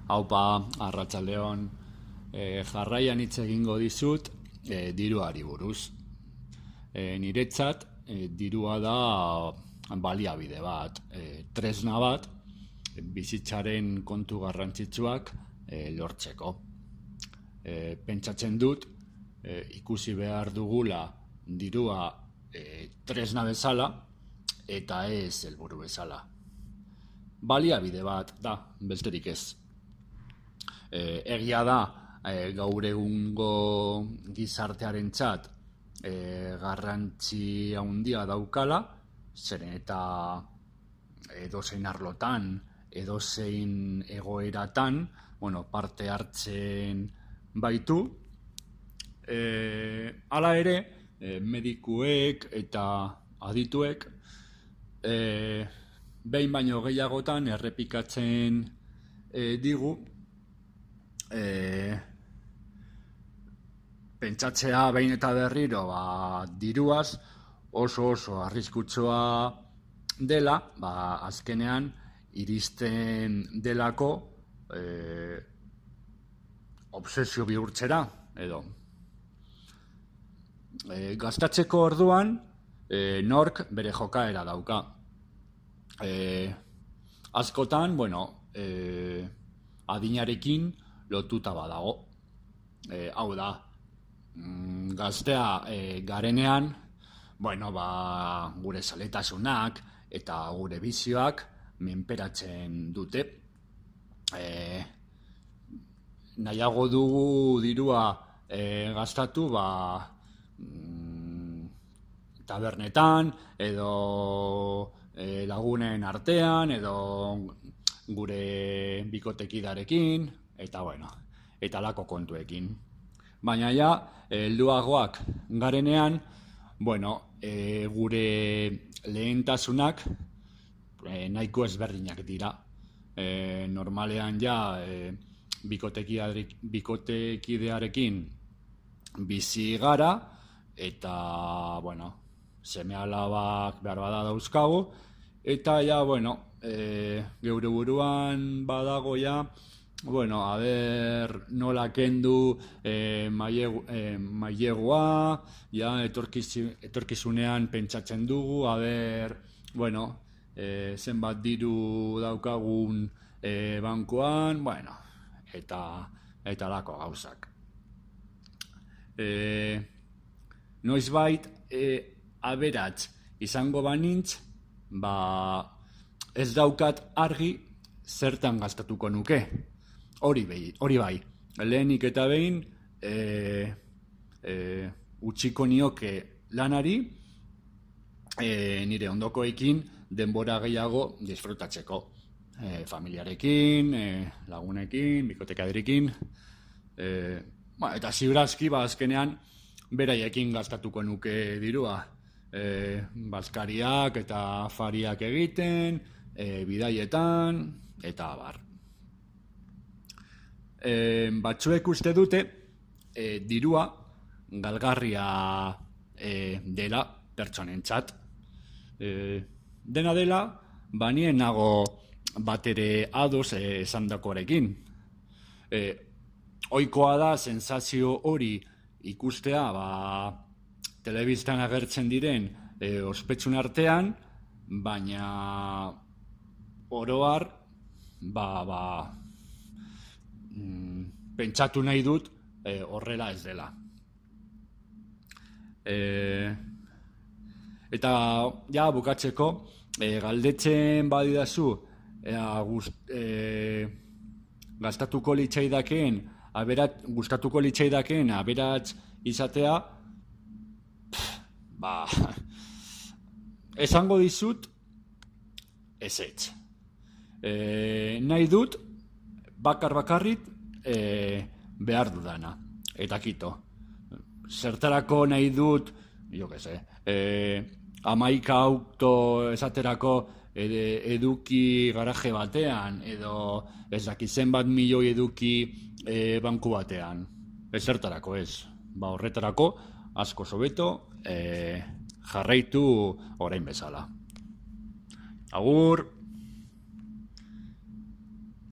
Haupa, arratsaldeon, jarraian hitz egingo dizut diruari buruz. Niretzat, dirua da baliabide bat, tresna bat, bizitzaren kontu garrantzitsuak lortzeko. Pentsatzen dut, ikusi behar dugula dirua tresna bezala eta ez helburu bezala. Baliabide bat da, besterik ez. Egia da, gaur egungo gizartearentzat garrantzi handia daukala, zeren eta edozein arlotan, edozein egoeratan, parte hartzen baitu. Hala ere, medikuek eta adituek behin baino gehiagotan errepikatzen digu pentsatzea behin eta berriro diruaz oso arriskutsua dela, azkenean iristen delako obsesio bihurtzera edo. Gastatzeko orduan nork bere jokaera dauka. Askotan, adinarekin lotuta badago. Hau da, gaztea garenean, gure zaletasunak eta gure bizioak menperatzen dute. Nahiago dugu dirua gastatu tabernetan edo lagunen artean edo gure bikotekidarekin eta alako kontuekin. Baina helduagoak garenean, gure lehentasunak nahiko ezberdinak dira. Normalean bikotekidearekin bizi gara eta seme-alabak behar bada dauzkagu eta geure buruan badago nola kendu mailegua, etorkizunean pentsatzen dugu, zenbat diru daukagun bankuan, eta lako gauzak. Noizbait aberats izango banintz, ez daukat argi zertan gastatuko nuke. Hori bai, lehenik eta behin utziko nioke lanari nire ondokoekin denbora gehiago disfrutatzeko. Familiarekin, lagunekin, bikotekadirekin, eta ziurazki azkenean beraiekin gastatuko nuke dirua. Bazkariak eta afariak egiten, bidaietan, eta abar. Batzuek uste dute dirua galgarria dela pertsonentzat. Dena dela, nien nago batere ados esandakoarekin. Ohikoa da sensazio hori ikustea telebistan agertzen diren ospetsuen artean, baina oroar pentsatu nahi dut horrela ez dela. Eta bukatzeko, galdetzen badidazu gustatuko litzaidakeen aberats izatea, esango dizut ezetz. Nahi dut bakarrik behar dudana. Eta kito. Zertarako nahi dut, 11 auto esaterako eduki garaje batean, edo ez dakizen bat milioi eduki banku batean. Zertarako ez. Horretarako asko hobeto jarraitu orain bezala. Agur!